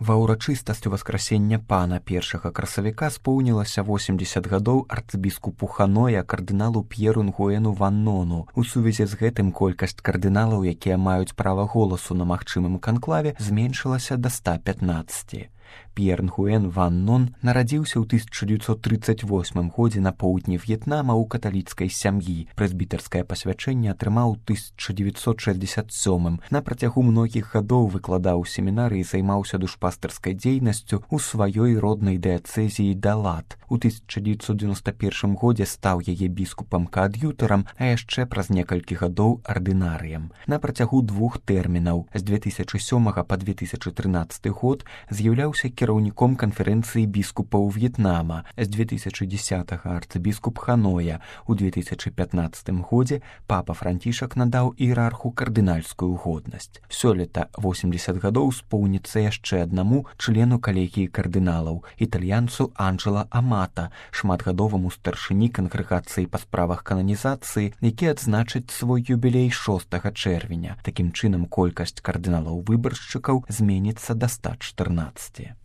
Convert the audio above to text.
Ва ўрачыстасць васкрасення пана 1 красавіка споўнілася 80 гадоў арцыбіскупу Ханоя кардыналу П'еру Нгуэну Ваннону. У сувязі з гэтым колькасць кардыналаў, якія маюць права голасу на магчымым канклаве, зменшылася да 115. П'ер Нгуэн Ваннон нарадзіўся ў 1938 годзе на поўдні В'етнама ў каталіцкай сям'і. Прэзбітарскае пасвячэнне атрымаў у 1967. На працягу многіх гадоў выкладаў у семінарыі і займаўся душпастарскай дзейнасцю ў сваёй роднай дыяцэзіі Далат. У 1991 годзе стаў яе біскупам-каад'ютарам, а яшчэ праз некалькі гадоў ардынарыем. На працягу 2 тэрмінаў з 2007 па 2013 год з'яўляўся кіраўніком канферэнцыі біскупаў В'етнама, з 2010 арцыбіскуп Ханоя. У 2015 годзе папа Францішак надаў іерарху кардынальскую годнасць. Сёлета 80 гадоў споўніцца яшчэ аднаму члену калегіі кардыналаў, італьянцу Анджела Амата, шматгадоваму старшыні кангрэгацыі па справах кананізацыі, які адзначыць свой юбілей 6 чэрвеня. Такім чынам колькасць кардыналаў-выбаршчыкаў зменіцца да 114.